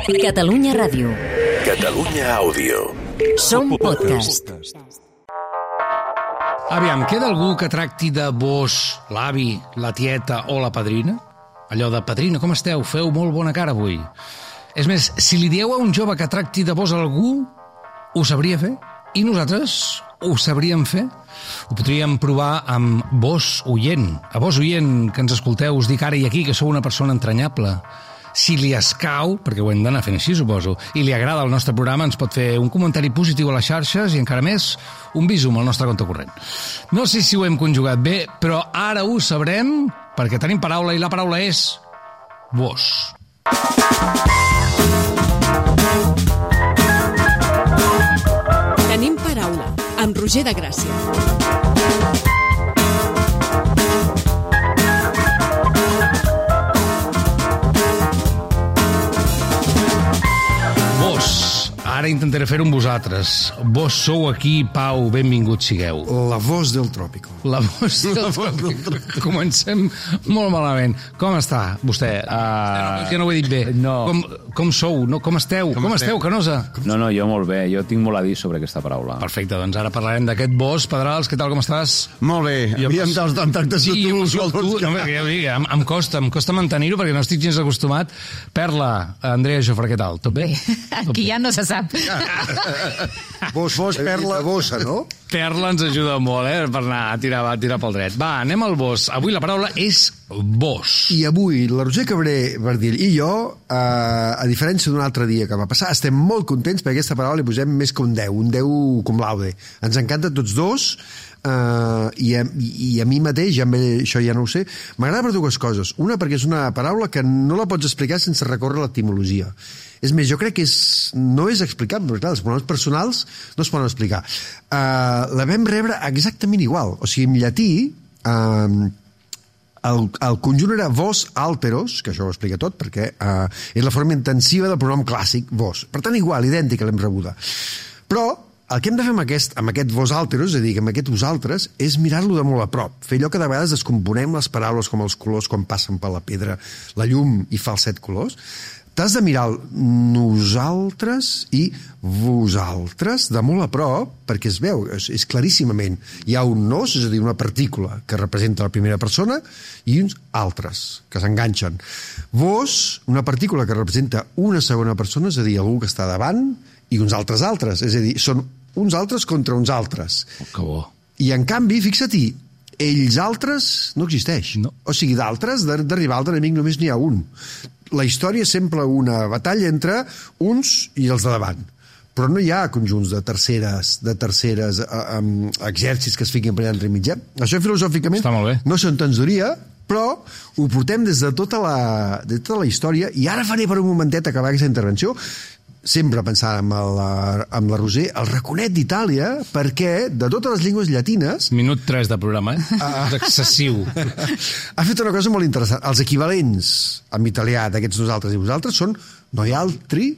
Catalunya Ràdio. Catalunya Àudio. Som podcast. Aviam, queda algú que tracti de vos l'avi, la tieta o la padrina? Allò de padrina, com esteu? Feu molt bona cara avui. És més, si li dieu a un jove que tracti de vos algú, ho sabria fer? I nosaltres ho sabríem fer? Ho podríem provar amb vos oient. A vos oient que ens escolteu, us dic ara i aquí que sou una persona entranyable. Si li escau, perquè ho hem d'anar fent així, suposo, i li agrada el nostre programa, ens pot fer un comentari positiu a les xarxes i encara més, un visum al nostre compte corrent. No sé si ho hem conjugat bé, però ara ho sabrem perquè tenim paraula i la paraula és vos. Tenim paraula, amb Roger de Gràcia. Ara intentaré fer-ho amb vosaltres. Vos sou aquí, Pau, benvinguts sigueu. La voz del tròpico. La voz del tròpico. Comencem molt malament. Com està, vostè? Ja no ho he dit bé. No. Com sou? No, com esteu? Com esteu, Canosa? No, jo molt bé. Jo tinc molt a dir sobre aquesta paraula. Perfecte, doncs ara parlarem d'aquest vos. Pedrals, què tal, com estàs? Molt bé. Havíem d'entactació tu. Em costa mantenir-ho perquè no estic gens acostumat. Perla, Andrea Jofre, què tal? Tot bé? Aquí ja no se sap. Vos, Perla, bossa, no? Perla ens ajuda molt, per anar a tirar pel dret. Va, anem al vos. Avui la paraula és vos. I avui la Roser Cabré Bardill i jo, a diferència d'un altre dia que va passar, estem molt contents perquè aquesta paraula li posem més que un 10 cum laude. Ens encanta tots dos, i a mi mateix, això ja no ho sé, m'agrada per dues coses. Una, perquè és una paraula que no la pots explicar sense recórrer a l'etimologia. És més, jo crec que no és explicable, perquè clar, els pronoms personals no es poden explicar. La vam rebre exactament igual. O sigui, en llatí, el conjunt era vos alteros, que això ho explica tot, perquè és la forma intensiva del pronom clàssic, vos. Per tant, igual, idèntica l'hem rebuda. Però el que hem de fer amb aquest vos alteros, és a dir, amb aquest vosaltres, és mirar-lo de molt a prop. Fer allò que de vegades descomponem les paraules com els colors quan passen per la pedra, la llum i fa els 7 colors. T'has de mirar nosaltres i vosaltres de molt a prop, perquè es veu, és claríssimament. Hi ha un nos, és a dir, una partícula que representa la primera persona, i uns altres, que s'enganxen. Vos, una partícula que representa una segona persona, és a dir, algú que està davant, i uns altres, és a dir, són uns altres contra uns altres. Oh, que bo. I en canvi, fixa-t'hi, ells altres no existeix. No. O sigui, d'altres, d'arribar al enemic només n'hi ha un. La història és sempre una batalla entre uns i els de davant. Però no hi ha conjunts de terceres exèrcits que es fiquin per allà entre mitjà. Això filosòficament no s'entensoria, però ho portem des de tota la història, i ara faré per un momentet acabar aquesta intervenció sempre pensant amb la Roser, el raconet d'Itàlia, perquè de totes les llengües llatines... Minut 3 de programa, És excessiu. Ha fet una cosa molt interessant. Els equivalents en italià d'aquests nosaltres i vosaltres són noialtri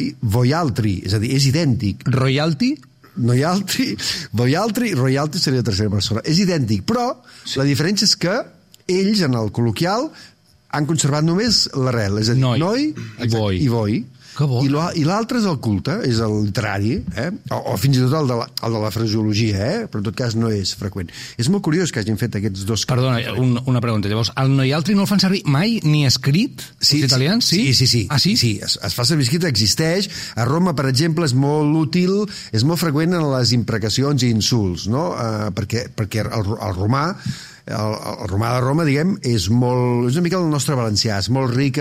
i voialtri, és a dir, és idèntic. Royalty? Noialtri, voialtri, royalty seria la tercera persona. És idèntic, però la diferència és que ells, en el col·loquial, han conservat només l'arrel, és a dir, noi i voi. I l'altre és el culte, és el literari, o fins i tot el de la fraseologia, però en tot cas no és freqüent. És molt curiós que hagin fet aquests dos... Perdona, una pregunta. Llavors, el noialtri no el fan servir mai ni escrit? Els italians? Sí. Ah, sí? Sí, es fa servir escrit, existeix. A Roma, per exemple, és molt útil, és molt freqüent en les imprecacions i insults, no? Perquè el romà de Roma, diguem, és una mica el nostre valencià, és molt ric,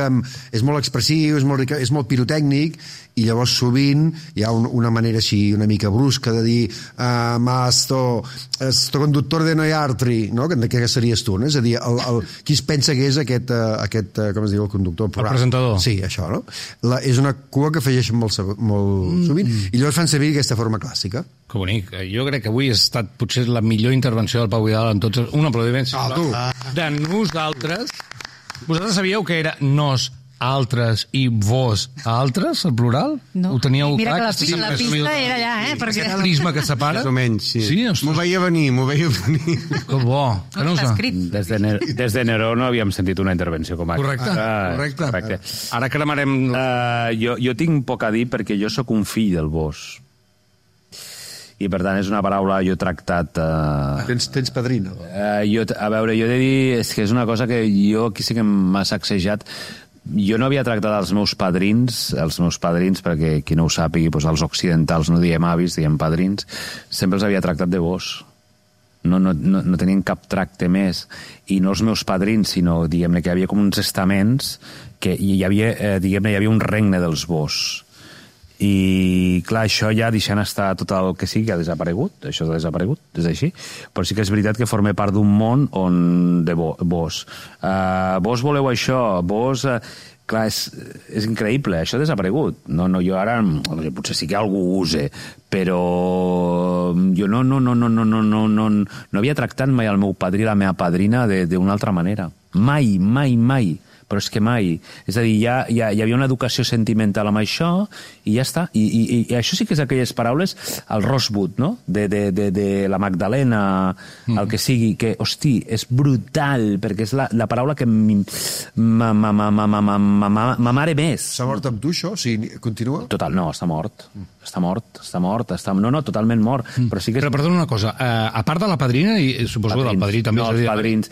és molt expressiu, és molt pirotècnic, i llavors sovint hi ha una manera així una mica brusca de dir sto conductor de noiartri, no? Que series tu, no? És a dir, qui es pensa que és aquest com es diu, el conductor? El presentador. Sí, això, no? És una cua que afegeixen molt sovint, i llavors fan servir aquesta forma clàssica. Que bonic. Jo crec que avui ha estat potser la millor intervenció del Pau Vidal en tots... Un aplaudiment, sisplau. De nosaltres. Vosaltres sabíeu que era altres i vos altres, el plural? No. Ho teníeu Mira clar? que la pista era allà, perquè... Aquest prisma que separa? Més o menys, sí. Sí, ostres. M'ho veia venir. Que bo. Que no Està us... escrit. Des de Neró no havíem sentit una intervenció com aquesta. Correcte. Ara cremarem... Jo tinc poc a dir perquè jo sóc un fill del Bosch. I, per tant, és una paraula jo he tractat... Tens padrina. Jo he de dir, és que és una cosa que jo aquí sí que m'ha sacsejat. Jo no havia tractat els meus padrins, perquè qui no ho sàpigui, doncs els occidentals no diem avis, diem padrins, sempre els havia tractat de vos. No tenien cap tracte més. I no els meus padrins, sinó, diguem-ne, que hi havia com uns estaments que hi havia, diguem-ne, hi havia un regne dels vos. I, clar, això ja deixant estar tot el que sigui, ha desaparegut, això ha desaparegut, és així, però sí que és veritat que forma part d'un món on de vos. Vos voleu això, vos... clar, és increïble, això ha desaparegut. No, jo ara, potser sí que algú ho use, però jo no havia tractat mai el meu padrí i la meva padrina d'una altra manera. Mai. Però és que mai. És a dir, hi havia una educació sentimental amb això i ja està. I això sí que és aquelles paraules, el Rosebud, no? De la Magdalena, el que sigui, que, hosti, és brutal, perquè és la paraula que ma mare més. S'ha mort amb tu, això? O sigui, continua? Total, no, està mort. Està mort. No, totalment mort. Però sí que... Però perdona una cosa, a part de la padrina, i suposo del padrí també... No, els padrins.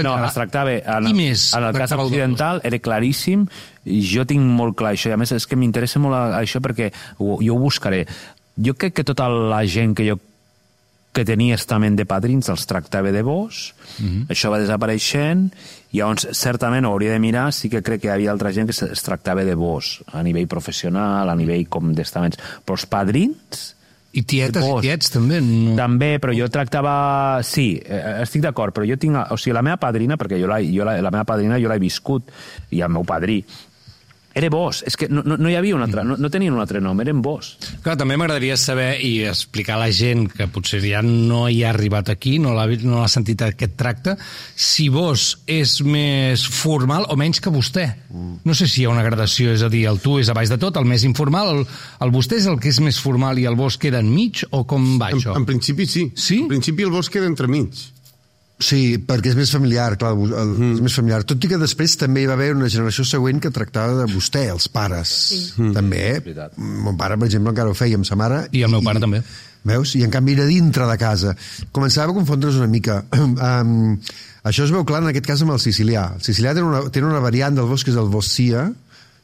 No, es tractava... En el cas occidental era claríssim, i jo tinc molt clar això, i a més és que m'interessa molt això perquè jo ho buscaré. Jo crec que tota la gent que tenia estament de padrins els tractava de vos, això va desapareixent, i llavors certament ho hauria de mirar, sí que crec que hi havia altra gent que es tractava de vos, a nivell professional, a nivell com d'estaments, però els padrins... I tietes i tiets, també? No. També, però jo tractava... Sí, estic d'acord, però jo tinc... O sigui, la meva padrina, perquè la meva padrina jo l'he viscut, i el meu padrí, era vos. És que no hi havia un altre... No tenien un altre nom, eren vos. Clar, també m'agradaria saber i explicar a la gent que potser ja no hi ha arribat aquí, no l'ha sentit aquest tracte, si vos és més formal o menys que vostè. No sé si hi ha una gradació, és a dir, el tu és a baix de tot, el més informal, el vostè és el que és més formal i el vos queda enmig, o com va això? En principi sí. Sí? En principi el vos queda entremig. Sí, perquè és més familiar, clar, és més familiar. Tot i que després també hi va haver una generació següent que tractava de vostè, els pares. Sí. També, mon pare, per exemple, encara ho feia amb sa mare. I el meu pare també. Veus? I en canvi era dintre de casa. Començava a confondre's una mica. Això es veu clar en aquest cas amb el sicilià. El sicilià té una variant del vos que és el vossia,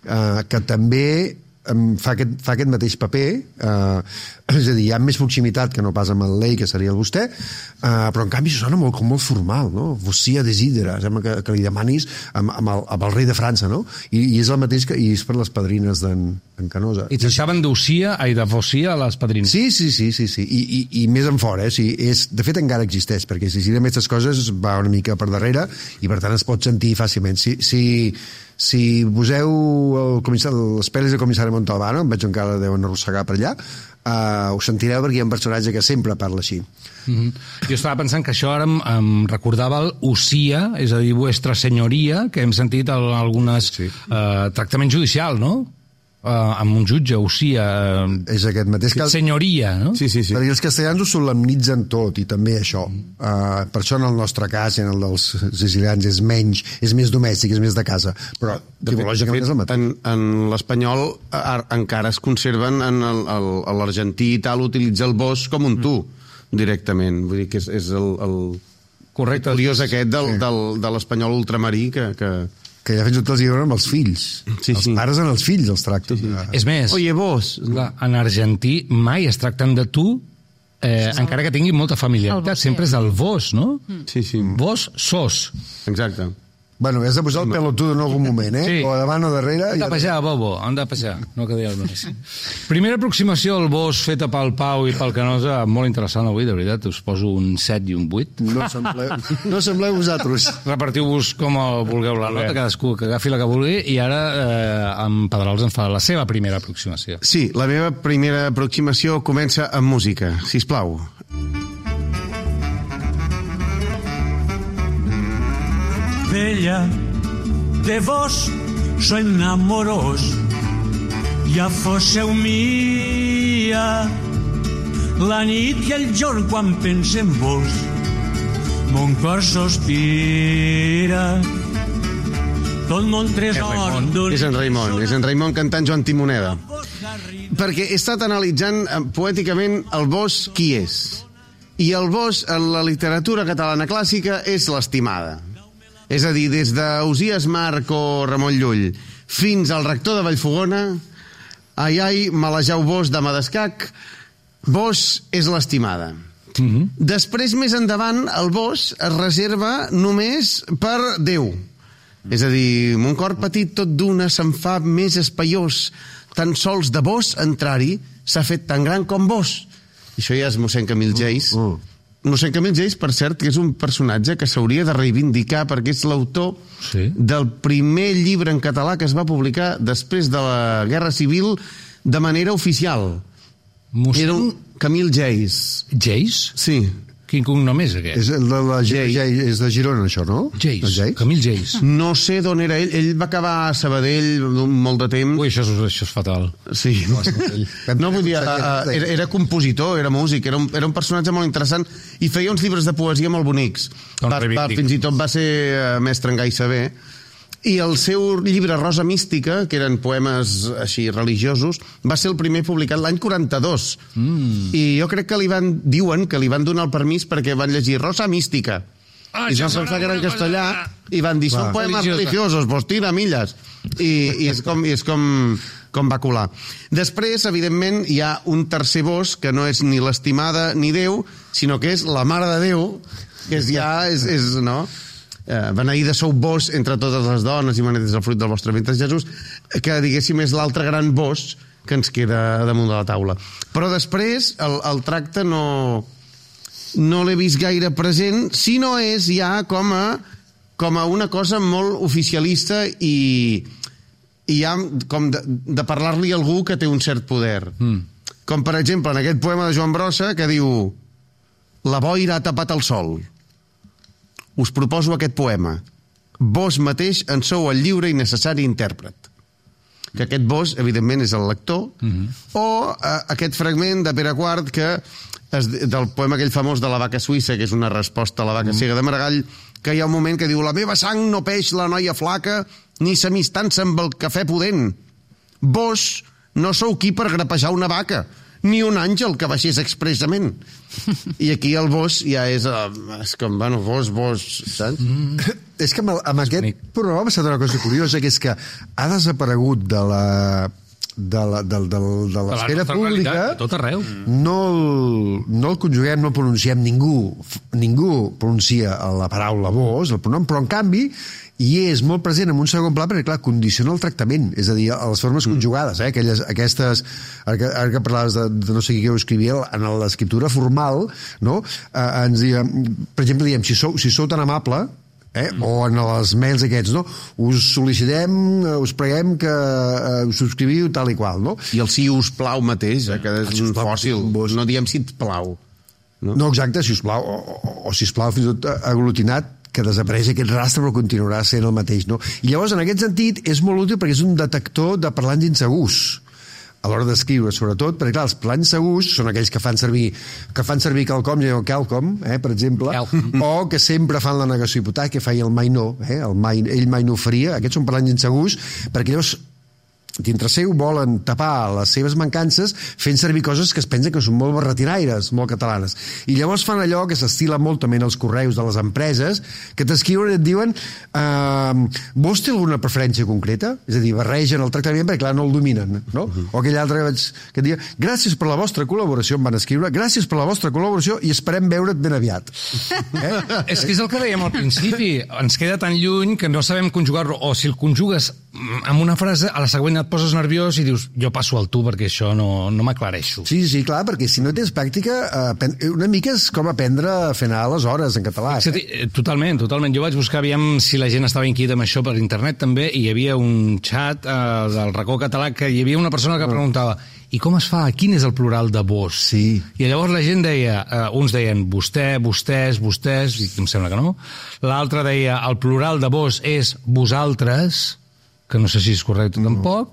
que també fa aquest mateix paper, és a dir, hi ha més proximitat que no pas amb el lei, que seria el vostè, però en canvi això sona molt formal, no? Vossia desidera, sembla que li demanis amb el rei de França, no? I és el mateix i és per les padrines d'en Canosa. I deixaven de vossia a les padrines? Sí. I més en fora, de fet encara existeix, perquè si amb aquestes coses va una mica per darrere i per tant es pot sentir fàcilment. Si poseu les pel·lis de Comissari Montalbano, em veig encara deuen arrossegar per allà, ho sentireu perquè hi ha un personatge que sempre parla així. Jo estava pensant que això ara em recordava el Usia, és a dir, vuestra senyoria, que hem sentit en algunes tractament judicial, no? Amb un jutge, Usia... És aquest mateix que... Senyoria, no? Sí. Perquè els castellans ho solemnitzen tot, i també això. Per això en el nostre cas i en el dels sicilians és més domèstic, és més de casa. Però tipològicament és el mateix. En l'espanyol encara es conserven, en l'argentí i tal, utilitza el vos com un tu, directament. Vull dir que és el correcte. Curiós aquest de l'espanyol ultramarí que ja fins i tot els diuen amb els fills. Els pares en els fills els tracten. És més, oye, vos. En argentí mai es tracten de tu, encara que tinguin molta familiaritat. Sempre és el vos, no? Sí. Vos sos. Exacte. Bueno, has de posar el pelotudo en algun moment, Sí. O davant o darrere. Han de pejar, Bobo, han de pejar. No quedi el més. Primera aproximació al vos feta pel Pau i pel Canosa, molt interessant avui, de veritat. Us poso un 7 i un 8. No sembleu vosaltres. Repartiu-vos com vulgueu la nota, cadascú que agafi la que vulgui, i ara en Pedrals ens fa la seva primera aproximació. Sí, la meva primera aproximació comença amb música, sisplau. Bella, de vos so enamorós. Ja fósseu mia la nit i el jorn quan pense en vos, mon cor sospira. Tot mon tresor... És en Raimon cantant Joan Timoneda. Perquè he estat analitzant poèticament el Bosch qui és. I el Bosch en la literatura catalana clàssica és l'estimada. És a dir, des d'Ausiàs Marc o Ramon Llull fins al rector de Vallfogona, ai, malejau Bosch de Madascac, Bosch és l'estimada. Després, més endavant, el Bosch es reserva només per Déu. És a dir, mon cor petit tot d'una se'n fa més espaiós. Tan sols de vos entrar-hi s'ha fet tan gran com vos. I això ja és mossèn Camil Geis. Mossèn Camil Geis, per cert, que és un personatge que s'hauria de reivindicar perquè és l'autor del primer llibre en català que es va publicar després de la Guerra Civil de manera oficial. Era un Camil Geis. Geis? Sí. Quin cognom és aquest? És de Girona, això, no? Geis, Camil Geis. No sé d'on era ell. Ell va acabar a Sabadell molt de temps. Ui, això és fatal. Sí. No, vull dir, era compositor, era músic, era un personatge molt interessant i feia uns llibres de poesia molt bonics. Fins i tot va ser mestre en gai saber. I el seu llibre Rosa Mística, que eren poemes així religiosos, va ser el primer publicat l'any 42. I jo crec que diuen que li van donar el permís perquè van llegir Rosa Mística. I es van pensar que era en castellà i van dir, són poemes religiosos, vos tira milles. I és com va colar. Després, evidentment, hi ha un tercer Bosch que no és ni l'estimada ni Déu, sinó que és la Mare de Déu, que és no? Beneïda sou vos entre totes les dones i beneït és el fruit del vostre ventre, Jesús, que diguéssim és l'altre gran vos que ens queda damunt de la taula. Però després el tracte no l'he vist gaire present, sinó és ja com a una cosa molt oficialista i ja com de parlar-li a algú que té un cert poder. Com per exemple en aquest poema de Joan Brossa que diu: la boira ha tapat el sol. Us proposo aquest poema. Vos mateix en sou el lliure i necessari intèrpret. Que aquest vos, evidentment, és el lector, o aquest fragment de Pere IV del poema aquell famós de la vaca suïssa, que és una resposta a la vaca cega de Maragall, que hi ha un moment que diu: la meva sang no peix la noia flaca, ni s'amistança amb el cafè pudent. Vos no sou qui per grapejar una vaca, ni un àngel que baixés expressament. I aquí el vos ja és com, bueno, vos, saps? És que amb aquest programa ha passat una cosa curiosa, que és que ha desaparegut de l'esfera pública. A tot arreu. No el conjuguem, no el pronunciem, ningú pronuncia la paraula vos, el pronom, però en canvi i és molt present en un segon pla perquè, clar, condiciona el tractament, és a dir, a les formes conjugades, aquestes, ara que parlaves de no sé qui ho escrivia, en l'escriptura formal, no? Ens diem, per exemple, diem, si sou tan amable, o en els mails aquests, no? Us sol·licitem, us preguem que us subscriviu tal i qual, no? I el si us plau mateix, que és un fòssil, no diem si et plau. No, exacte, si us plau, o si us plau fins i tot aglutinat, que desapareix aquest rastre però continuarà sent el mateix, no? I llavors, en aquest sentit, és molt útil perquè és un detector de parlants insegurs a l'hora d'escriure, sobretot, perquè, clar, els parlants segurs són aquells que fan servir quelcom, per exemple, o que sempre fan la negació hipotètica, que feia el mai no, ell mai no ho faria. Aquests són parlants insegurs, perquè llavors dintre seu volen tapar les seves mancances fent servir coses que es pensen que són molt barretinaires, molt catalanes. I llavors fan allò que s'estila molt també en els correus de les empreses, que t'escriuen i et diuen vos té alguna preferència concreta? És a dir, barregen el tractament perquè clar no el dominen, no? O aquell altre que et diu gràcies per la vostra col·laboració, em van escriure, gràcies per la vostra col·laboració i esperem veure't ben aviat. És que és el que dèiem al principi, ens queda tan lluny que no sabem conjugar-lo, o si el conjugues amb una frase, a la següent et poses nerviós i dius, jo passo al tu perquè això no m'aclareixo. Sí, clar, perquè si no tens pràctica, una mica és com aprendre a fer anar les hores en català. Totalment. Jo vaig buscar, aviam si la gent estava inquieta amb això per internet també, i hi havia un xat del racó català que hi havia una persona que preguntava i com es fa? Quin és el plural de vos? Sí. I llavors la gent deia, uns deien vostè, vostès, i em sembla que no. L'altre deia, el plural de vos és vosaltres, que no sé si és correcte tampoc,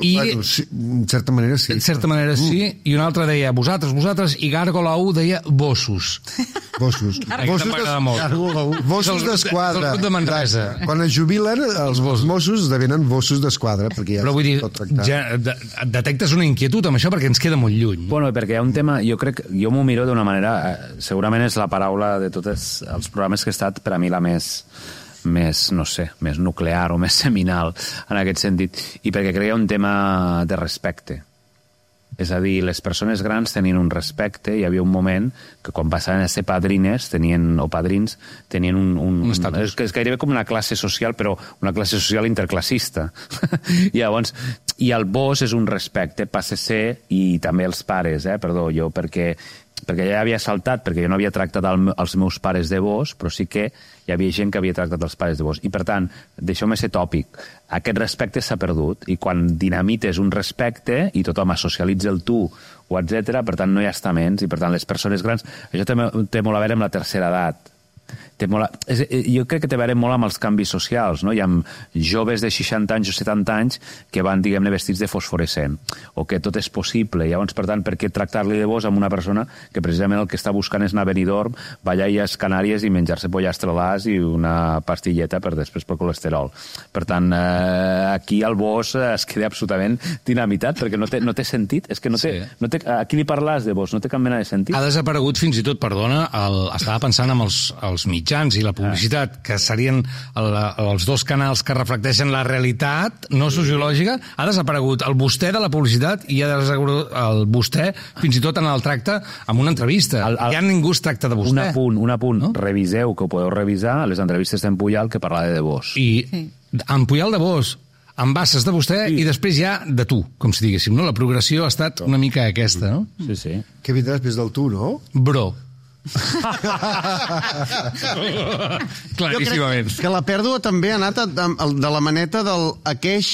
i bueno, sí, en certa manera sí. En certa manera sí, i un altre deia vosaltres, i Gàrgola 1 deia bossos. Bossos. Bossos d'Esquadra. Del club de Manresa. Quan es jubilen, els Mossos esdevenen Bossos d'Esquadra, perquè ja però vull dir, tot tractat. ja detectes una inquietud amb això perquè ens queda molt lluny. Bueno, perquè hi ha un tema, jo m'ho miro d'una manera, segurament és la paraula de tots els programes que he estat per a mi la més no sé, més nuclear o més seminal en aquest sentit, i perquè crec que hi ha un tema de respecte. És a dir, les persones grans tenien un respecte, hi havia un moment que quan passaven a ser padrines o padrins tenien un estatus. És gairebé com una classe social, però una classe social interclassista. Llavors, i el vos és un respecte, passa a ser, i també els pares, jo perquè ja havia saltat, perquè jo no havia tractat els meus pares de vos, però sí que hi havia gent que havia tractat els pares de vos. I, per tant, deixeu-me ser tòpic, aquest respecte s'ha perdut, i quan dinamites un respecte i tothom socialitza el tu, o etc., per tant, no hi ha estaments, i, per tant, les persones grans... Això té molt a veure amb la tercera edat. Jo crec que té a veure molt amb els canvis socials, no? Hi ha joves de 60 anys o 70 anys que van, diguem-ne, vestits de fosforescent, o que tot és possible. Llavors, per tant, per què tractar-li de vos amb una persona que precisament el que està buscant és anar a Benidorm, ballar a Illes Canàries i menjar-se pollastre d'as i una pastilleta per després pel colesterol. Per tant, aquí el vos es queda absolutament dinamitat, perquè no té sentit. És que no té, a qui li parles de vos? No té cap mena de sentit. Ha desaparegut fins i tot, perdona, estava pensant en els mitjans i la publicitat, que serien els dos canals que reflecteixen la realitat no sociològica. Ha desaparegut el vostè de la publicitat i ha desaparegut el vostè fins i tot en el tracte amb una entrevista. Ja ningú es tracta de vostè. Un apunt. No? Reviseu, que ho podeu revisar, les entrevistes d'en Pujal que parlava de vos. I en Pujal de vos, amb basses de vostè i després ja de tu, com si diguéssim, no? La progressió ha estat una mica aquesta, no? Sí. Què vindrà després del tu, no? Bro. Claríssimament. Que la pèrdua també ha anat de la maneta del aqueix,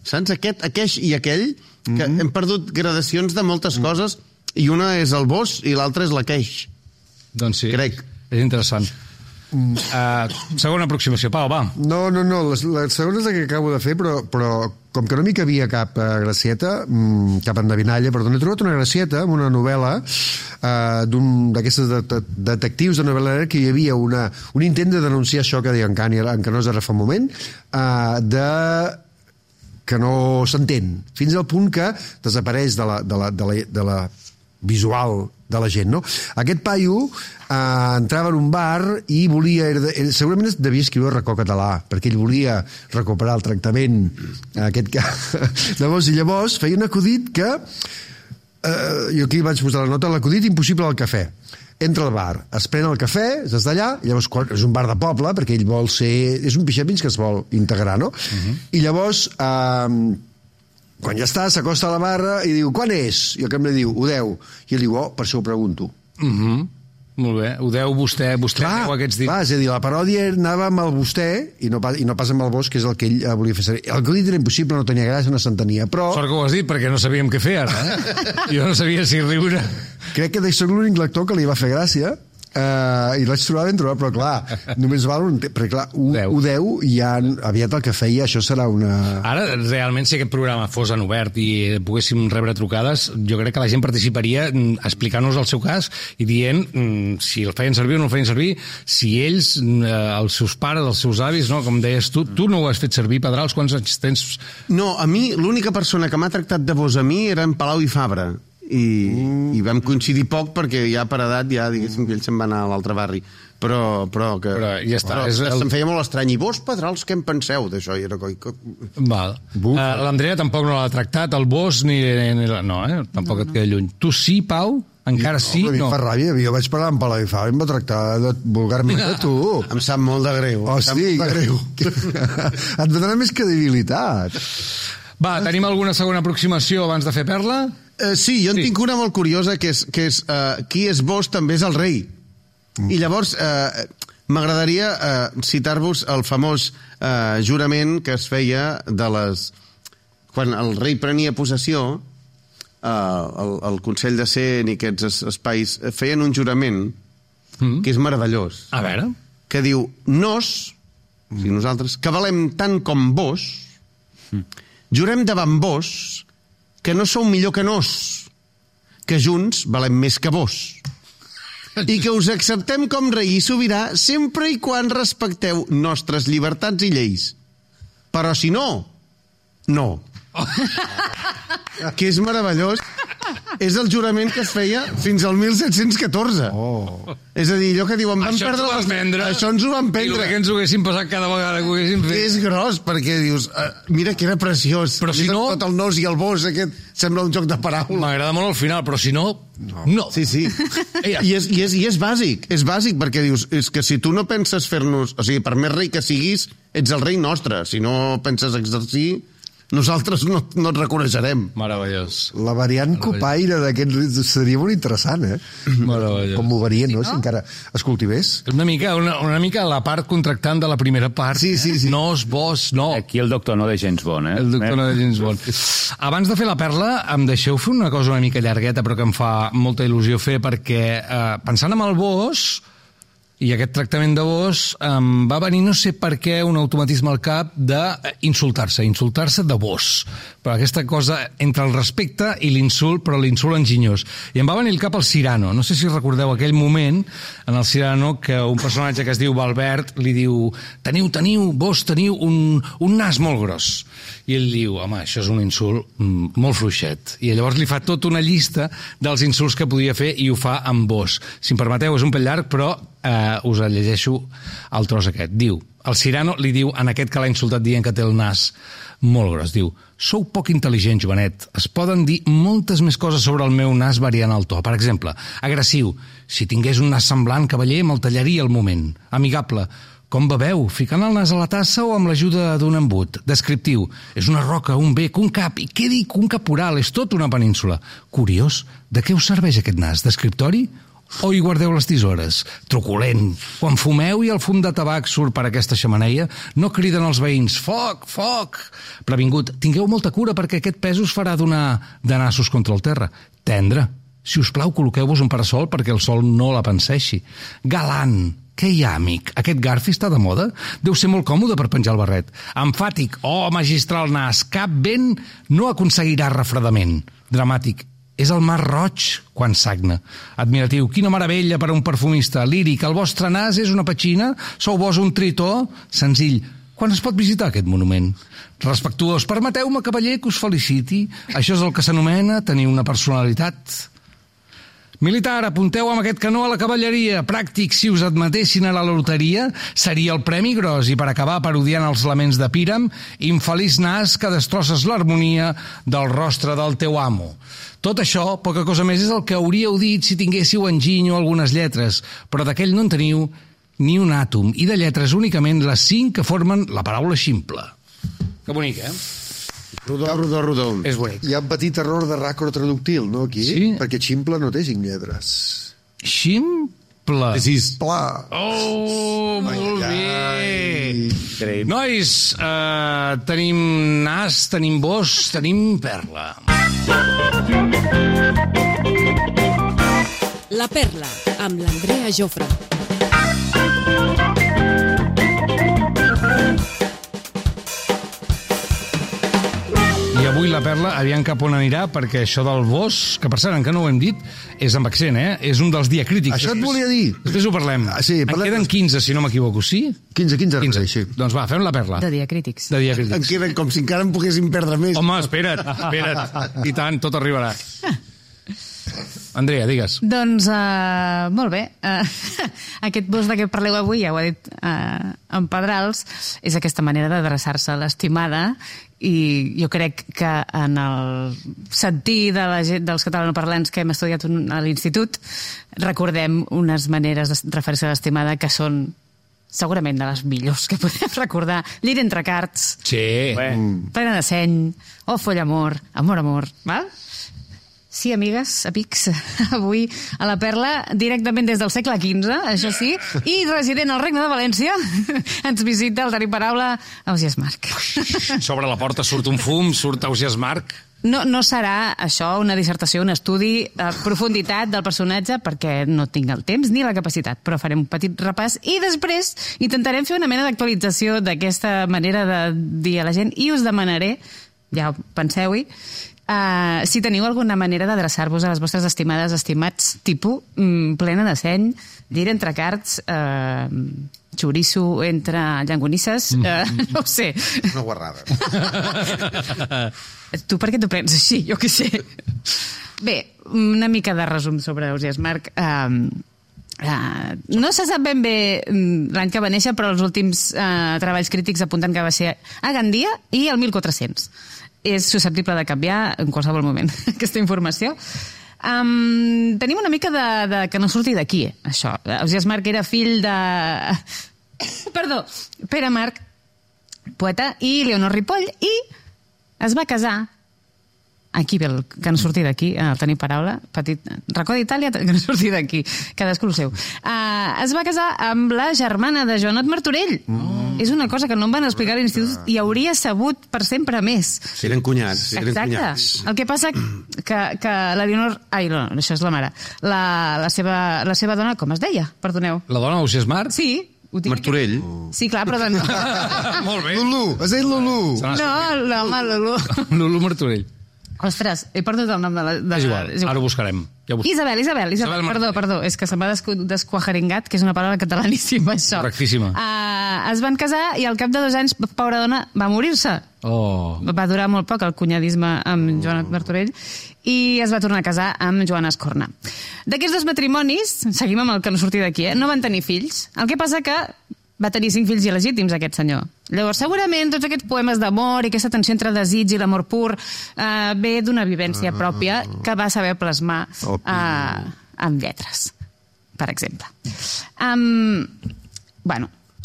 saps? Aqueix i aquell, que hem perdut gradacions de moltes coses, i una és el vos i l'altra és l'aqueix. Doncs sí, crec. És interessant. Segona aproximació, Pau, va. No, la segona és la que acabo de fer, però com que no m'hi cabia cap gracieta, cap endevinalla, perdó, he trobat una gracieta en una novel·la d'un d'aquestes detectius de novel·la que hi havia un intent de denunciar això que deia en Canosa ara fa un moment, que no s'entén, fins al punt que desapareix de la visual de la gent, no? Aquest paio entrava en un bar i volia... segurament devia escriure racó català, perquè ell volia recuperar el tractament de vos, i llavors feia un acudit que... jo aquí vaig posar la nota, l'acudit impossible al cafè. Entra al bar, es pren el cafè, és d'allà, llavors és un bar de poble, perquè ell vol ser... És un pixapins que es vol integrar, no? I llavors... quan ja està, s'acosta a la barra i diu, quan és? I el cambrer diu, ho deu. I ell diu, per això ho pregunto. Molt bé, ho deu vostè deu aquests dits. És a dir, la paròdia anava amb el vostè i no pas amb el vos, que és el que ell volia fer servir. El que dit era impossible, no tenia gràcia, no s'entenia, però... Sort que ho has dit, perquè no sabíem què fer ara, Jo no sabia si riure. Crec que soc l'únic lector que li va fer gràcia, i l'haig trobat ben trobat, però clar, només val un temps, perquè clar, ho deu i ja aviat el que feia, això serà una... Ara, realment, si aquest programa fos en obert i poguéssim rebre trucades, jo crec que la gent participaria explicant-nos el seu cas i dient si el feien servir o no el feien servir, si ells, els seus pares, els seus avis, no? Com deies tu no ho has fet servir, Pedrals, quants anys tens? No, a mi, l'única persona que m'ha tractat de vos a mi era en Palau i Fabra. I vam coincidir poc perquè ja per edat diguéssim que ell se'n va anar a l'altre barri, però ja està, se'm feia molt estrany. I vos, Pedrals, què en penseu d'això? L'Andrea tampoc no l'ha tractat, el vos ni no, tampoc et queda lluny. Tu sí, Pau? Encara sí? No, fa ràbia, jo vaig parlar amb Palau i Fabra i em va tractar vulgarment a tu. Em sap molt de greu. Hosti, et donarà més credibilitat. Va, tenim alguna segona aproximació abans de fer perla? Sí, jo en tinc una molt curiosa, que és qui és vos també és el rei. I llavors m'agradaria citar-vos el famós jurament que es feia quan el rei prenia possessió, el Consell de Cent i aquests espais feien un jurament que és meravellós. A veure. Que diu, nosaltres, que valem tant com vos, Jurem davant vos que no sou millor que nos, que junts valem més que vos, i que us acceptem com rei i sobirà sempre i quan respecteu nostres llibertats i lleis. Però si no, no. Que és meravellós. És el jurament que es feia fins al 1714. És a dir, allò que diuen... Això ens ho van prendre. Això ens ho van prendre. I que ens ho haguessin passat cada vegada que ho haguessin fet. És gros, perquè dius... mira que era preciós. Però si no... Tot el nos i el vos, aquest, sembla un joc de paraules. M'agrada molt al final, però si no... No. Sí. I és bàsic. És bàsic, perquè dius... És que si tu no penses fer-nos... O sigui, per més rei que siguis, ets el rei nostre. Si no penses exercir... nosaltres no et reconeixerem. Meravellós. La variant copaire d'aquest seria molt interessant, eh? Meravellós. Com ho varien, no? Si encara es cultivés. Una mica la part contractant de la primera part. Sí. Nos, vos, no. Aquí el doctor no de James Bond, eh? El doctor no de James Bond. Abans de fer la perla, em deixeu fer una cosa una mica llargueta, però que em fa molta il·lusió fer, perquè pensant en el vos... I aquest tractament de vos va venir, no sé per què, un automatisme al cap d'insultar-se de vos. Però aquesta cosa entre el respecte i l'insult, però l'insult enginyós. I em va venir al cap el Cyrano. No sé si recordeu aquell moment en el Cyrano que un personatge que es diu Valbert li diu vos teniu un nas molt gros. I ell diu, home, això és un insult molt fluixet. I llavors li fa tota una llista dels insults que podia fer i ho fa amb vos. Si em permeteu, és un pèl llarg, però us el llegeixo el tros aquest. Diu, el Cyrano li diu en aquest que l'ha insultat dient que té el nas molt gros. Diu, sou poc intel·ligent, jovenet. Es poden dir moltes més coses sobre el meu nas variant el to. Per exemple, agressiu. Si tingués un nas semblant, cavaller, me'l tallaria al moment. Amigable. Com beveu? Ficant el nas a la tassa o amb l'ajuda d'un embut? Descriptiu. És una roca, un bec, un cap. I què dic? Un caporal. És tot una península. Curiós. De què us serveix aquest nas? D'escriptori? O hi guardeu les tisores? Truculent. Quan fumeu i el fum de tabac surt per aquesta xemeneia, no criden els veïns foc, foc. Previngut, tingueu molta cura perquè aquest pes us farà donar de nassos contra el terra. Tendre. Si us plau, col·loqueu-vos un parasol perquè el sol no la penseixi. Galant. Què hi ha, amic? Aquest garfi està de moda? Deu ser molt còmode per penjar el barret. Emfàtic. Oh, magistral nas. Cap vent no aconseguirà refredament. Dramàtic. És el mar roig quan sagna. Admiratiu, quina meravella per a un perfumista. Líric, el vostre nas és una petxina? Sou vos un tritó? Senzill. Quan es pot visitar aquest monument? Respectuós, permeteu-me, cavaller, que us feliciti. Això és el que s'anomena tenir una personalitat. Militar, apunteu amb aquest canó a la cavalleria. Pràctic, si us admetessin a la loteria, seria el premi gros. I per acabar parodiant els laments de Píram, infeliç nas que destrosses l'harmonia del rostre del teu amo. Tot això, poca cosa més, és el que hauríeu dit si tinguéssiu enginy o algunes lletres, però d'aquell no en teniu ni un àtom, i de lletres únicament les 5 que formen la paraula ximple. Que bonic, eh? Rodó. És bonic. Hi ha un petit error de racro traductil, no, aquí? Sí. Perquè ximple no té 5 lletres. Ximple. Pla. Oh, molt bé. Nois, tenim nas, tenim vos, tenim perla. La perla, amb l'Andrea Jofre. I avui la perla, aviam cap on anirà, perquè això del vos, que per cert, encara no ho hem dit, és amb accent, eh? És un dels diacrítics. Això et volia dir. Després ho parlem. Sí, en queden 15, si no m'equivoco, sí? 15, sí. Doncs va, fem la perla. De diacrítics. En queden com si encara en poguéssim perdre més. Home, espera't. I tant, tot arribarà. Andrea, digues. Doncs, molt bé. Aquest vos de què parleu avui, ja ho ha dit en Pedrals, és aquesta manera d'adreçar-se a l'estimada, i jo crec que en el sentir de la gent, dels catalanoparlants que hem estudiat a l'institut, recordem unes maneres de referir-se a l'estimada que són segurament de les millors que podem recordar. Llit entre cards. Sí. Plena de seny. Oh, follamor. Amor. Val? Sí, amigues, amics, avui a la Perla, directament des del segle XV, això sí, i resident al Regne de València, ens visita el tenir paraula Ausiàs March. Sobre la porta surt un fum, surt Ausiàs March. No serà això una dissertació, un estudi a profunditat del personatge, perquè no tinc el temps ni la capacitat, però farem un petit repàs i després intentarem fer una mena d'actualització d'aquesta manera de dir a la gent i us demanaré, ja penseu-hi, si teniu alguna manera d'adreçar-vos a les vostres estimades, estimats, tipus plena de seny, llir entre cards, xoriço entre llangonisses, no ho sé. Una guarrada. Tu per què t'ho prens així? Jo què sé. Bé, una mica de resum sobre Ausiàs March. No se sap ben bé l'any que va néixer, però els últims treballs crítics apunten que va ser a Gandia i el 1400. És susceptible de canviar en qualsevol moment, aquesta informació. Tenim una mica de que no surti d'aquí, això. Ausiàs March era fill de... Perdó, Pere March, poeta, i Leonor Ripoll, i es va casar... Aquí ve el que no surti d'aquí, tenir paraula, petit racó d'Itàlia, que no surti d'aquí, cadascú el seu. Es va casar amb la germana de Joanot Martorell. És una cosa que no em van explicar a l'institut i hauria sabut per sempre més. Eren cunyats. Exacte. El que passa que la Leonor... Ai, no, això és la mare. La seva dona, com es deia? Perdoneu. La dona Ausiàs March? Sí. Martorell? Sí, clar, però... Molt bé. Lulu, has dit Lulu. No, l'home Lulu. Lulu Martorell. Ostres, he perdut el nom de la... És igual, ara ho buscarem. Ja Isabel, perdó, és que se m'ha desquajaringat, que és una paraula catalaníssima, això. Correctíssima. Es van casar i al cap de 2 anys, pobra dona, va morir-se. Va durar molt poc el cunyadisme amb Joanot Martorell i es va tornar a casar amb Joana Escorna. D'aquests 2 matrimonis, seguim amb el que no surti d'aquí, no van tenir fills. El que passa que va tenir 5 fills il·legítims, aquest senyor. Llavors, segurament, tots aquests poemes d'amor i aquesta tensió entre desig i l'amor pur ve d'una vivència pròpia que va saber plasmar amb lletres, per exemple.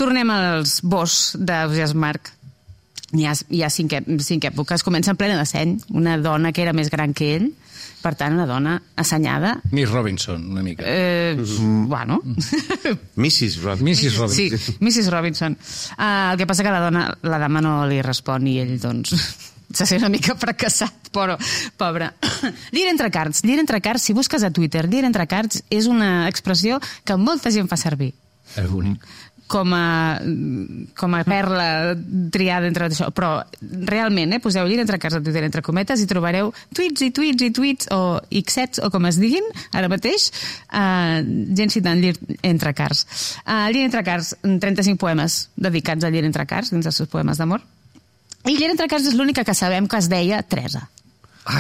Tornem als boscs d'Ausiàs March. Hi ha 5 èpoques. Comença en plena de seny, una dona que era més gran que ell, per tant, una dona assenyada. Miss Robinson, una mica. Bueno. Mrs. Robinson. Sí, Mrs. Robinson. El que passa que la dama no li respon i ell, doncs, se sent una mica fracassat, però, pobre. Llir entre cards, si busques a Twitter, llir entre cards és una expressió que molta gent fa servir. És bonic. Com a perla triada entre això, però realment, poseu llir entre cards a Twitter entre cometes i trobareu tuits o xets o com es diguin ara mateix, gent citant llir entre cards. Llir entre cards, 35 poemes dedicats a llir entre cards dins dels seus poemes d'amor, i llir entre cards és l'única que sabem que es deia Teresa.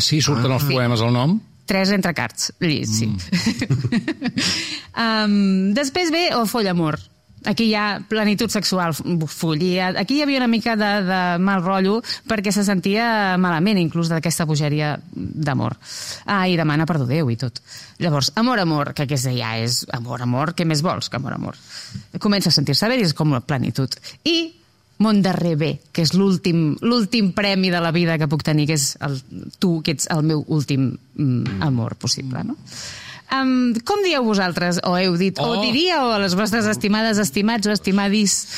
Sí, surten els poemes al nom? Teresa entre cards, sí. Després ve O foll amor. Aquí hi ha plenitud sexual, follia. Aquí hi havia una mica de mal rotllo perquè se sentia malament inclús d'aquesta bogeria d'amor. I demana perdó Déu i tot. Llavors, amor, que aquesta ja és amor, què més vols que amor? Comença a sentir-se bé i és com la plenitud. I Món darrer bé, que és l'últim premi de la vida que puc tenir, que és tu, que ets el meu últim amor possible, no? Com dieu vosaltres, o heu dit, o diríeu a les vostres estimades, estimats o estimadis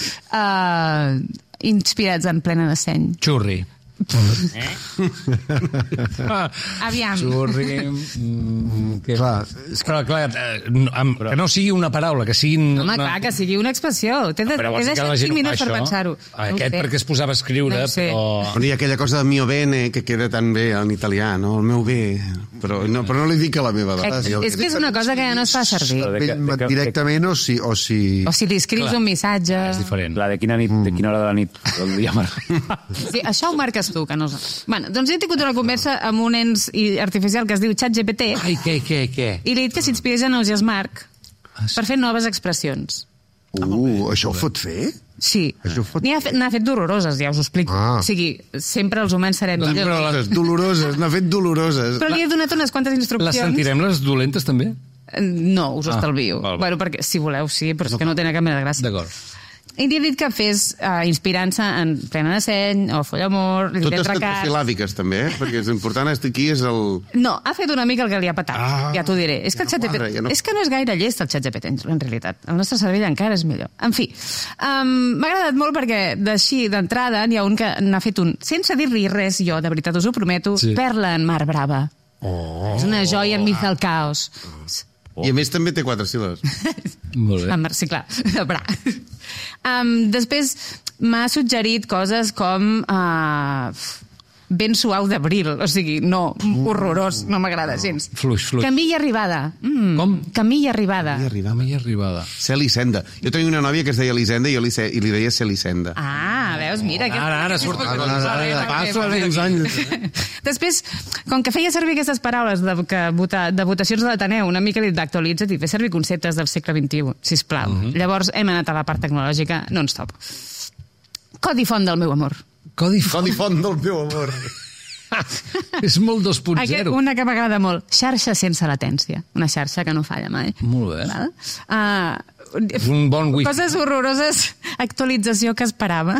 inspirats en plena de seny? Xurri. Aviam. Xurri. Clar, que no sigui una paraula, que sigui... Home, clar, que sigui una expressió. T'he deixat 5 minuts per pensar-ho. Aquest perquè es posava a escriure, però... Hi ha aquella cosa de mio bene que queda tan bé en italià, no? El meu bé. Però no li dic a la meva dona. És que és una cosa que ja no es fa servir. Directament o si... O si li escrius un missatge... És diferent. De quina hora de la nit el dia Sí, això ho marques tu, que no... Bueno, doncs he tingut una conversa amb un ens artificial que es diu ChatGPT. Ai, què? I li he dit que s'inspirés en Ausiàs March per fer noves expressions. Això ho pot fer? Sí. N'ha fet doloroses, ja us ho explico. O sigui, sempre els humans serem millors. N'ha fet doloroses. Però li he donat unes quantes instruccions. Les sentirem, les dolentes, també? No, us ho estalvio. Bueno, perquè, si voleu, sí, però és que no tenen cap mena de gràcia. D'acord. I li he dit que fes inspirant-se en Plena de Seny o Follamor, Totes tetrasilàbiques, també, perquè és important, aquí és el... No, ha fet una mica el que li ha patat, ja t'ho diré. És que el ChatGPT... És que no és gaire llest el ChatGPT, en realitat. El nostre cervell encara és millor. En fi, m'ha agradat molt perquè d'així, d'entrada, n'hi ha un que n'ha fet un, sense dir-li res, jo, de veritat us ho prometo, Perla en Mar Brava. És una joia enmig del caos. I a més també té 4 síl·labes. Molt bé. Sí, clar, bra. Després m'ha suggerit coses com Ben suau d'abril, o sigui, no, horrorós, no m'agrada gens. Fluix. Camí i arribada. Com? Camí i arribada. Camí i arribada. Celisenda. Jo tenia una nòvia que es deia Elisenda i li deia Celisenda. Veus, mira. Ara surt. Passo els anys. Després, com que feia servir aquestes paraules de votacions de l'Ateneu, una mica li d'actualitza't i fer servir conceptes del segle XXI, sisplau. Llavors hem anat a la part tecnològica non-stop. Codi font del meu amor. Codi font del meu amor. És molt 2.0. Una que m'agrada molt. Xarxa sense latència. Una xarxa que no falla mai. Molt bé. És un bon wifi. Coses horroroses. Actualització que esperava.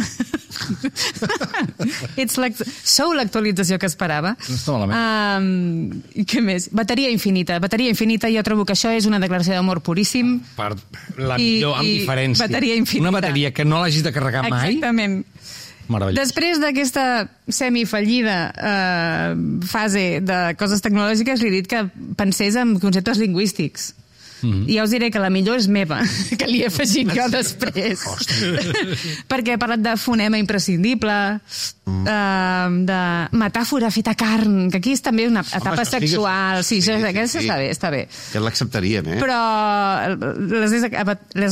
Sou l'actualització que esperava. No està malament. I què més? Bateria infinita. Bateria infinita, jo trobo que això és una declaració d'amor puríssim. La millor, amb diferència. Bateria infinita. Una bateria que no l'hagis de carregar mai. Exactament. Meravellós. Després d'aquesta semifallida fase de coses tecnològiques, li he dit que pensés en conceptes lingüístics. I ja us diré que la millor és meva, que li he afegit jo després. Perquè he parlat de fonema imprescindible, de metàfora feta carn, que aquí és també una etapa sexual. Sí, aquesta està bé. Que l'acceptaríem, Però les he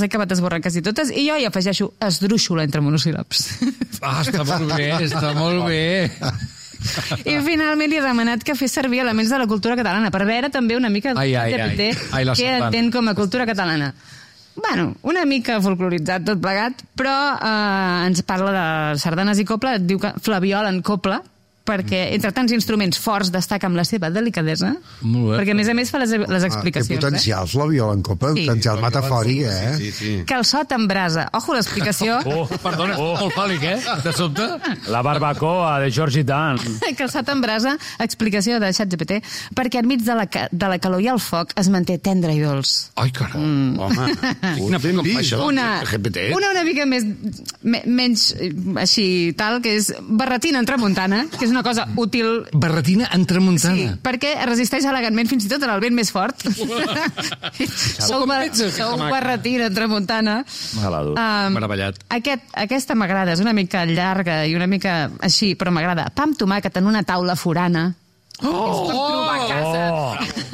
acabat esborrant quasi totes i jo hi afegeixo esdrúixola entre monosíl·labs. Està molt bé. I finalment li he demanat que fes servir elements de la cultura catalana per veure també una mica GPT què entén com a cultura catalana. Bueno, una mica folcloritzat tot plegat, però ens parla de sardanes i copla, diu que Flabiol en copla, perquè entre tants instruments forts destaca amb la seva delicadesa, perquè a més fa les explicacions. Té potencial, Flabiol en copla, potencial metafòric, Sí. Calçot en brasa. Ojo, l'explicació. Perdona, molt fàl·lic, de sobte? La barbacoa de George Dan. Calçot en brasa, explicació de ChatGPT, perquè enmig de la calor i el foc es manté tendre i dolç. Ai, caram. Home, una mica menys així tal, que és barretina en tramuntana, que és una cosa útil. Barretina en tramuntana. Sí, perquè resisteix elegantment fins i tot en el vent més fort. Sou barretina en tramuntana. Meravellat. Aquesta m'agrada, és una mica llarga i una mica així, però m'agrada. Pa amb tomàquet en una taula forana.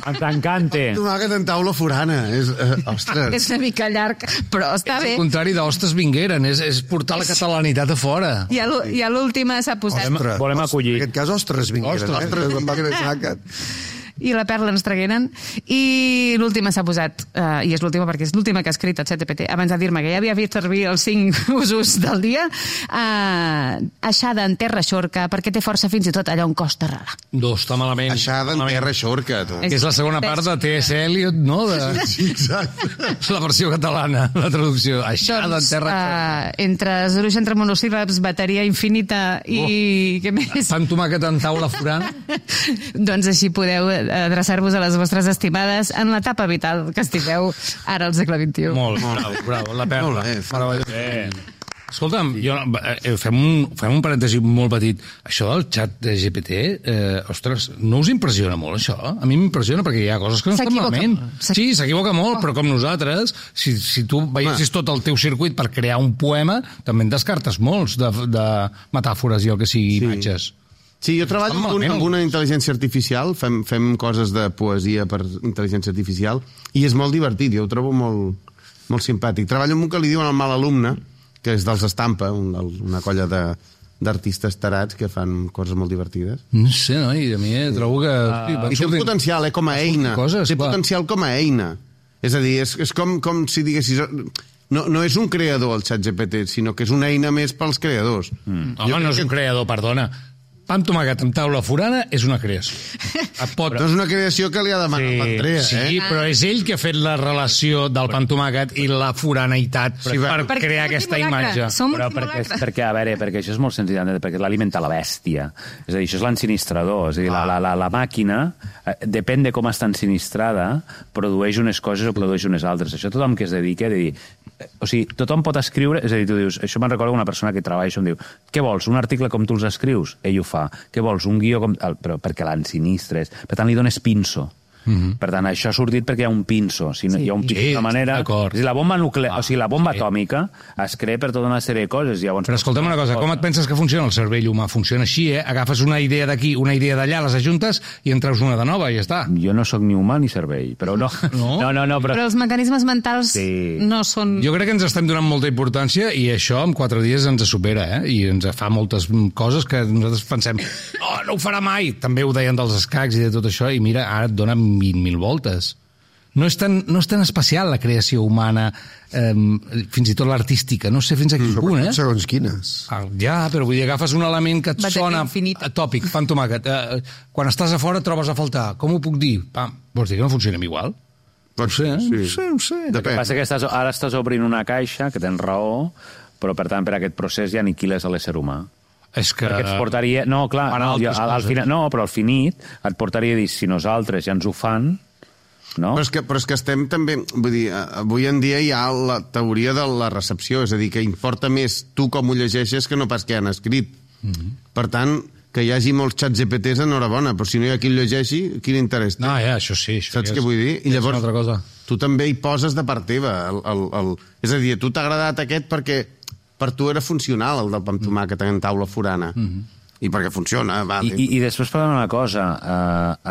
T'encante. Tomàquet en taula forana. Ostres. És una mica llarg, però està bé. És el contrari d'Ostres Vingueren, és portar la catalanitat a fora. I a l'última s'ha posat... Volem acollir. En aquest cas, Ostres Vingueren. I la Perla ens tragueren. I l'última s'ha posat, i és l'última perquè és l'última que ha escrit el ChatGPT, abans de dir-me que ja havia fet servir els 5 usos del dia, aixada en terra xorca, perquè té força fins i tot allà on costa arrelar. Està malament. Aixada en terra xorca. Que és la segona part de T.S. Eliot, no? Sí, exacte. La versió catalana, la traducció. Aixada en terra xorca. Entre esdruix entre monosíl·labs, bateria infinita i... què més? Pa amb tomàquet en taula forana. Doncs així podeu adreçar-vos a les vostres estimades en l'etapa vital que estigueu ara al segle XXI. Molt bravo, la Perla. Molt bé. Escolta'm, fem un parèntesi molt petit. Això del xat de GPT, ostres, no us impressiona molt, això? A mi m'impressiona perquè hi ha coses que no estan malament. Sí, s'equivoca molt, però com nosaltres, si tu veiessis tot el teu circuit per crear un poema, també en descartes molts de metàfores i el que sigui imatges. Sí, jo treballo amb una intel·ligència artificial, fem coses de poesia per intel·ligència artificial, i és molt divertit, jo ho trobo molt simpàtic. Treballo amb un que li diuen el mal alumne, que és dels Estampa, una colla d'artistes tarats que fan coses molt divertides. No sé, no? I a mi trobo que... I té un potencial, com a eina. Té potencial com a eina. És a dir, és com si diguessis... No és un creador, el ChatGPT, sinó que és una eina més pels creadors. Home, no és un creador, perdona. pa amb tomàquet amb taula forana és una creació. No és una creació que li ha demanat l'Andrea, Sí, però és ell que ha fet la relació del pa amb tomàquet i la foraneïtat per crear aquesta imatge. Però perquè, a veure, perquè això és molt senzill, perquè l'alimenta la bèstia. És a dir, això és l'ensinistrador. És a dir, la màquina, depèn de com està ensinistrada, produeix unes coses o produeix unes altres. Això tothom que es dedica a dir... O sigui, tothom pot escriure... És a dir, tu dius... Això me'n recorda una persona que treballa això, em diu, què vols, un article com tu els escrius? Ell ho fa. Què vols, un guió com... Però perquè l'ensinistres. Per tant, li dones pinso. Per tant, això ha sortit perquè hi ha un pinso. Si no, hi ha un pinso de manera... És a dir, la bomba nuclear, o sigui, la bomba atòmica es crea per tota una sèrie de coses. Llavors, però escolta'm una cosa, com et penses que funciona el cervell humà? Funciona així, Agafes una idea d'aquí, una idea d'allà, les ajuntes i en treus una de nova i ja està. Jo no sóc ni humà ni cervell, però no. No, però els mecanismes mentals no són... Jo crec que ens estem donant molta importància i això en 4 dies ens supera, I ens fa moltes coses que nosaltres pensem no ho farà mai. També ho deien dels escacs i de tot això i mira, ara et dona 20.000 voltes. No és tan especial la creació humana, fins i tot l'artística, no sé fins a quin punt, Segons quines. Ja, però vull dir, agafes un element que et sona tòpic, pa amb tomàquet. Quan estàs a fora trobes a faltar. Com ho puc dir? Vols dir que no funcionem igual? No sé. El que passa que ara estàs obrint una caixa, que tens raó, però per tant per aquest procés ja aniquiles a l'ésser humà. És que... Perquè et portaria... No, clar, al final, però al finit et portaria a dir, si nosaltres ja ens ho fan, no? Però és que estem també... Vull dir, avui en dia hi ha la teoria de la recepció, és a dir, que importa més tu com ho llegeixes que no pas què han escrit. Per tant, que hi hagi molts xats GPTs, enhorabona, però si no hi ha qui el llegeixi, quin interès té? No, això sí. Saps què vull dir? I llavors, tu també hi poses de part teva. És a dir, a tu t'ha agradat aquest perquè per tu era funcional, el del pa amb tomàquet en taula forana. I perquè funciona. I després parlant una cosa,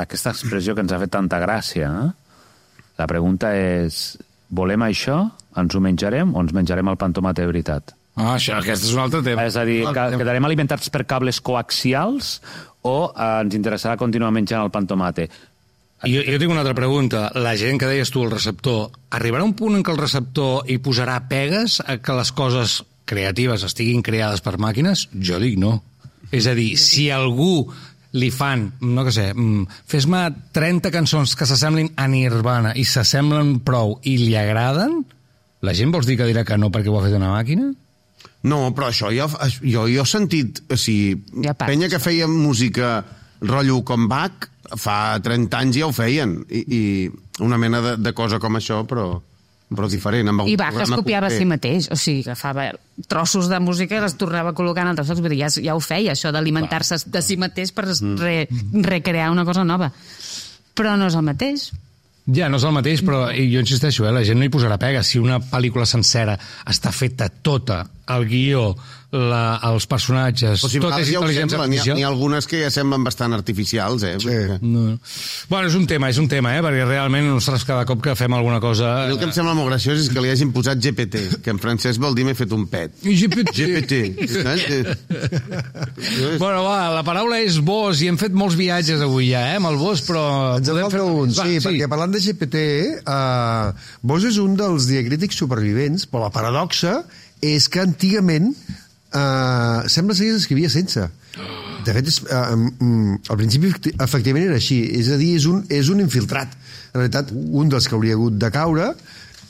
aquesta expressió que ens ha fet tanta gràcia, la pregunta és, volem això? Ens ho menjarem o ens menjarem el pa amb tomàquet de veritat? Aquest és un altre tema. És a dir, quedarem alimentats per cables coaxials o ens interessarà continuar menjant el pa amb tomàquet? Jo tinc una altra pregunta. La gent que deies tu, el receptor, arribarà un punt en què el receptor hi posarà pegues a que les coses creatives estiguin creades per màquines? Jo dic no. És a dir, si algú li fan, no què sé, fes-me 30 cançons que s'assemblin a Nirvana i s'assemblen prou i li agraden, la gent vols dir que dirà que no perquè ho ha fet una màquina? No, però això jo he sentit, o sigui, penya que feia música rotllo com Bach, fa 30 anys ja ho feien, i una mena de cosa com això, però diferent. I Bach es copiava a si mateix, o sigui, agafava trossos de música i les tornava a col·locar en altres llocs, vull dir, ja ho feia, això d'alimentar-se de si mateix per recrear una cosa nova. Però no és el mateix. Ja, no és el mateix, però jo insisteixo, la gent no hi posarà pega. Si una pel·lícula sencera està feta tota, el guió, els personatges, tot és intel·ligència artificial. N'hi ha algunes que ja semblen bastant artificials, Sí. No. Bueno, és un tema, perquè realment nosaltres cada cop que fem alguna cosa... El que em sembla molt graciós és que li hagin posat GPT, que en francès vol dir m'he fet un pet. GPT. Bueno, va, la paraula és Bosch, i hem fet molts viatges avui ja, amb el Bosch, però... Ens en falta un, perquè parlant de GPT, Bosch és un dels diacrítics supervivents, però la paradoxa és que antigament sembla ser que s'escrivia sense. De fet, al principi efectivament era així, és a dir, és un infiltrat. En realitat, un dels que hauria hagut de caure,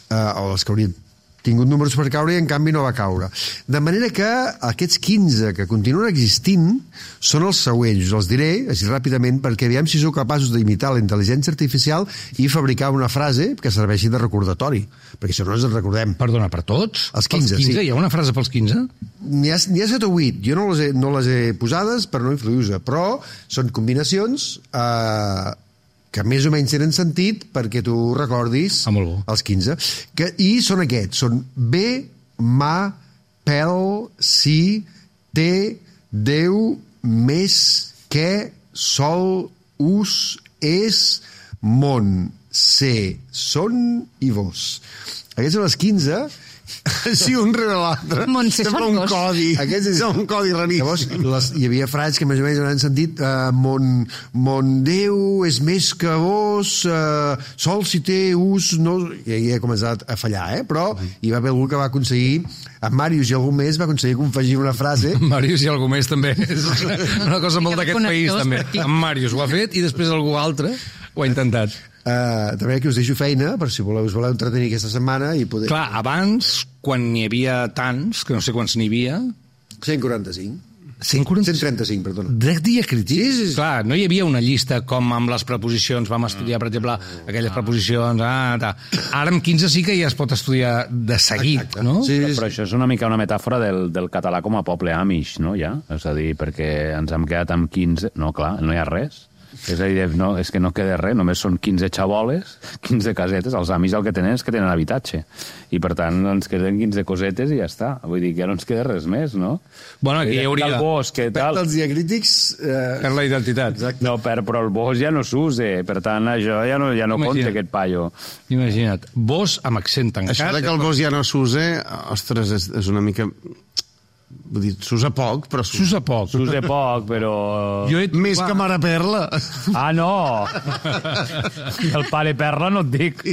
o dels que haurien tingut números per caure i en canvi no va caure. De manera que aquests 15 que continuen existint són els següents, els diré així ràpidament perquè aviam si sou capaços d'imitar la intel·ligència artificial i fabricar una frase que serveixi de recordatori, perquè si no ens en recordem. Perdona, per tots? Els 15, sí. Hi ha una frase pels 15? N'hi ha 7 o 8, jo no les he posades per no influir-vos, però són combinacions que més o menys tenen sentit perquè tu recordis els 15. I són aquests, són bé, mà, pèl, sí, té, Déu, més, què, sol, us, és, món, ser, són i vos. Aquests són els 15 Sí, un rere l'altre. Montse Sembla un Sorgos. codi. Aquest és un codi Llavors, raríssim. hi havia frases que més o menys han sentit mon Déu és més que vos, sol si té ús... No... I ahir ha començat a fallar, però hi va haver algú que va aconseguir, en Màrius i algú més, va aconseguir confegir una frase. Màrius i algú més també. És una cosa molt d'aquest país, també. En Màrius ho ha fet i després algú altre ho ha intentat. També aquí us deixo feina, per si us voleu entretenir aquesta setmana i poder... Clar, abans, quan n'hi havia tants, que no sé quants n'hi havia... 145. 135, perdona. De diacrítics? Sí. Clar, no hi havia una llista com amb les preposicions. Vam estudiar, per exemple, aquelles preposicions... Ara amb 15 sí que ja es pot estudiar de seguit, Exacte. no? Sí, Però això és una mica una metàfora del català com a poble amish, no, ja? És a dir, perquè ens hem quedat amb 15... No, clar, no hi ha res. És a dir, no, és que no queda res, només són 15 xaboles, 15 casetes, els amics el que tenen és que tenen habitatge. I per tant ens queden 15 cosetes i ja està. Vull dir que ja no ens queda res més, no? Bueno, aquí hi hauria... El bosc, què tal? Els diacrítics... Per la identitat. No, però el bosc ja no s'usa, per tant això ja no compta aquest paio. Imagina't, vos amb accent tancat... Això de que el bosc ja no s'usa, ostres, és una mica... Vull dir, s'usa poc, però S'usa poc. S'usa poc, però... Més que Mare Perla. Ah, no! El pare Perla no et dic.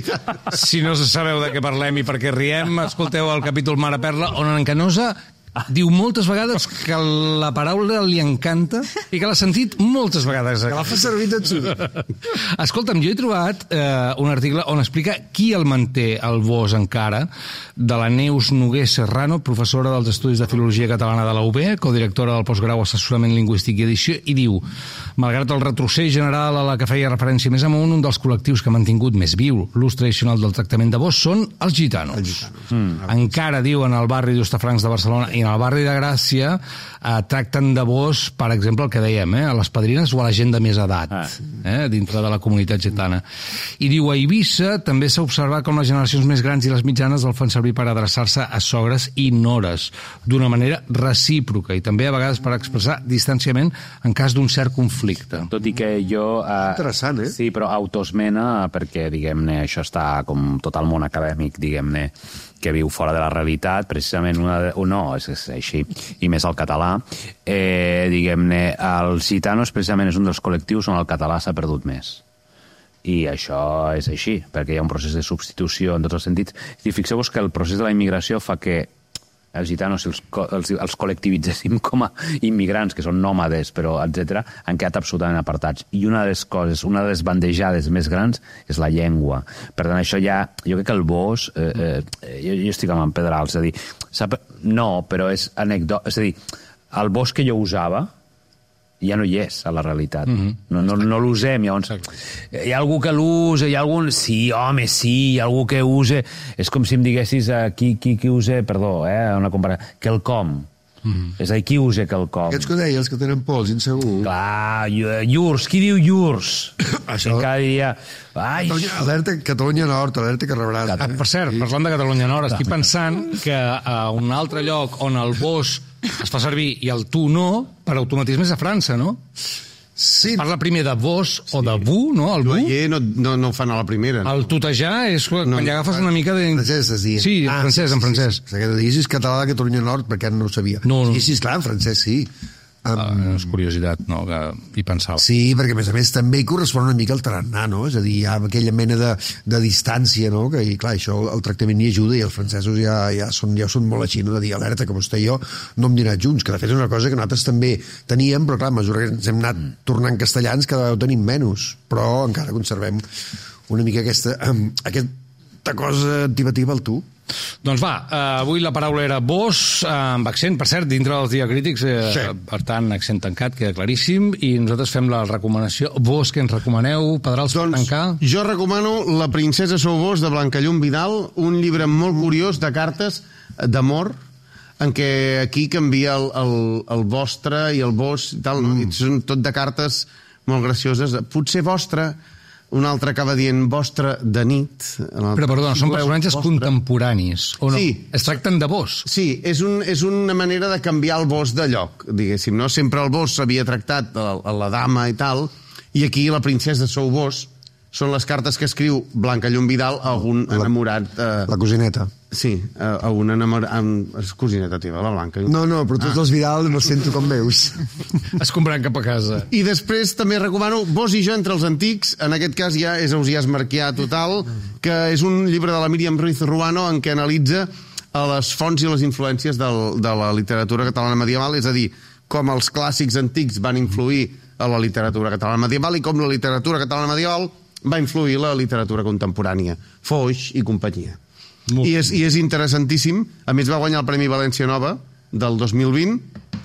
Si no sabeu de què parlem i per què riem, escolteu el capítol Mare Perla, on en Canosa diu moltes vegades que la paraula li encanta i que l'ha sentit moltes vegades. Que la fa servir tot surt. Escolta'm, jo he trobat un article on explica qui el manté el bosc encara, de la Neus Noguer Serrano, professora dels Estudis de Filologia Catalana de la UB, codirectora del postgrau Assessorament Lingüístic i Edició, i diu: malgrat el retrocés general a la que feia referència més amunt, un dels col·lectius que ha mantingut més viu l'ús tradicional del tractament de bosc són els gitanos. Encara, diu, en el barri d'Hostafrancs de Barcelona i en el barri de Gràcia tracten de bosc, per exemple, el que dèiem, a les padrines o a la gent de més edat, dintre de la comunitat gitana. I diu, a Eivissa també s'ha observat com les generacions més grans i les mitjanes el fan servir per adreçar-se a sogres i nores, d'una manera recíproca i també a vegades per expressar distanciament en cas d'un cert conflicte. Tot i que jo... Interessant, Sí, però autoesmena, perquè, diguem-ne, això està com tot el món acadèmic, diguem-ne, que viu fora de la realitat, precisament no, és així, i més el català, diguem-ne, els gitanos precisament és un dels col·lectius on el català s'ha perdut més. I això és així, perquè hi ha un procés de substitució en tots els sentits. I fixeu-vos que el procés de la immigració fa que els gitanos, si els col·lectivitzéssim com a immigrants, que són nòmades, però etc., han quedat absolutament apartats. I una de les coses, una de les bandejades més grans és la llengua. Per tant, això ja... Jo crec que el bosc... jo estic amb en Pedrals, és a dir... No, però és anècdota... És a dir, el bosc que jo usava ja no hi és a la realitat. No l'usem, llavors. Hi ha algú que l'usa, hi ha algun... Sí, home, sí, hi ha algú que usa... És com si em diguessis qui usa, perdó, una comparació, quelcom. És a dir, qui usa quelcom? Aquests que deia, els que tenen pols, insegur. Clar, llurs, qui diu llurs? Això... Cada dia... Alerta Catalunya Nord, alerta que rebràs. Per cert, parlant de Catalunya Nord, estic pensant que a un altre lloc on el bosc es fa servir i el tu no, per automatisme és a França, no? Sí. Parla primer de vos o de bu, no? El bu. No ho fan a la primera. El tutejar és quan ja agafes una mica de... Francès es diu. Sí, en francès. Que diguessis català de Catalunya Nord, perquè no ho sabia. No. Sí, esclar, en francès sí. És curiositat, no?, que hi pensava. Sí, perquè a més també hi correspon una mica al tarannà, no? És a dir, hi ha aquella mena de distància, no? Que, i clar, això el tractament hi ajuda i els francesos ja són molt així, no? De dir, alerta, que vostè i jo no hem dinat junts, que de fet és una cosa que nosaltres també teníem, però clar, a mesura que ens hem anat tornant castellans, cada vegada ho tenim menys, però encara conservem una mica aquesta cosa antipativa al tu. Doncs va, avui la paraula era bosc, amb accent, per cert, dintre dels diacrítics, per tant, accent tancat, queda claríssim, i nosaltres fem la recomanació. Vos, què ens recomaneu, Pedrals, per tancar? Jo recomano La princesa sou vos, de Blancallum Vidal, un llibre molt curiós de cartes d'amor, en què aquí canvia el vostre i el vos i tal, són tot de cartes molt gracioses, potser vostre. Un altre acaba dient vostre de nit. Però, perdona, són personatges contemporanis, o no? Sí. Es tracten de vos. Sí, és una manera de canviar el vos de lloc, diguéssim, no? Sempre el vos s'havia tractat a la dama i tal, i aquí la princesa sou vos, són les cartes que escriu Blancallum Vidal a algun enamorat... La cosineta. Sí, a una és cosineta teva, la Blanca. No, però tots els Vidal no sento com veus. Es compraran cap a casa. I després també recomano Vos i jo entre els antics, en aquest cas ja és Ausiàs Marquià total, que és un llibre de la Míriam Ruiz Ruano en què analitza les fonts i les influències de la literatura catalana medieval, és a dir, com els clàssics antics van influir a la literatura catalana medieval i com la literatura catalana medieval va influir la literatura contemporània, Foix i companyia. I és interessantíssim. A més, va guanyar el Premi València Nova del 2020.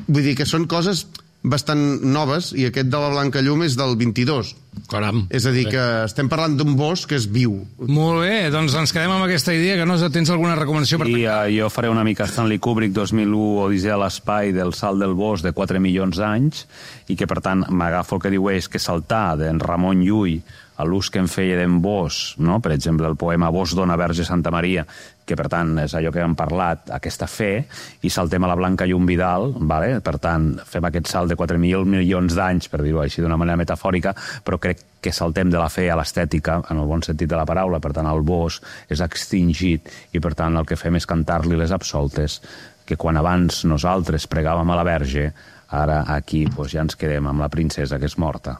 Vull dir que són coses bastant noves, i aquest de la Blanca Llum és del 22. Caram. És a dir, que estem parlant d'un bosc que és viu. Molt bé, doncs ens quedem amb aquesta idea, que no tens alguna recomanació per tancar? Jo faré una mica Stanley Kubrick, 2001, Odissea a l'espai, del salt del bosc de 4 milions d'anys, i que, per tant, m'agafo el que diu és que saltar d'en Ramon Llull a l'ús que en feia d'en Bosch, no? Per exemple, el poema Bosch dona Verge Santa Maria, que per tant és allò que hem parlat, aquesta fe, i saltem a la Blanca Llum Vidal, vale? Per tant, fem aquest salt de 4.000 milions d'anys, per dir-ho així d'una manera metafòrica, però crec que saltem de la fe a l'estètica, en el bon sentit de la paraula. Per tant, el Bosch és extingit, i per tant el que fem és cantar-li les absoltes, que quan abans nosaltres pregàvem a la Verge, ara aquí ja ens quedem amb la princesa que és morta.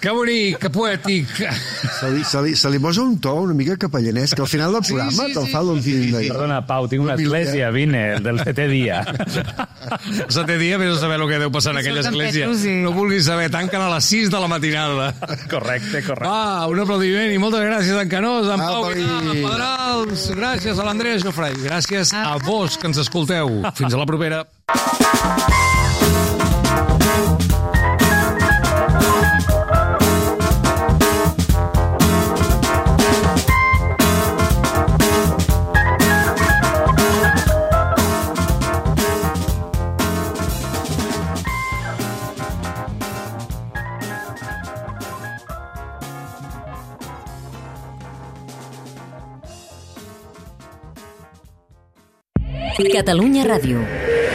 Que bonic, que poètic. Se li posa un to una mica capellanès, que al final del programa te'l fa l'últim. Perdona, Pau, tinc una església, vine, del 7è dia. El 7è dia, vés a saber el que deu passar en aquella església. No vulguis saber, tanquen a les 6 de la matinada. Correcte. Va, un aplaudiment i moltes gràcies, en Canós, en Pau Vidal, en Pedrals, gràcies a l'Andrea Jofré, gràcies a vos que ens escolteu. Fins a la propera. Catalunya Ràdio.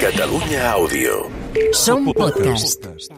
Catalunya Àudio. Som podcast.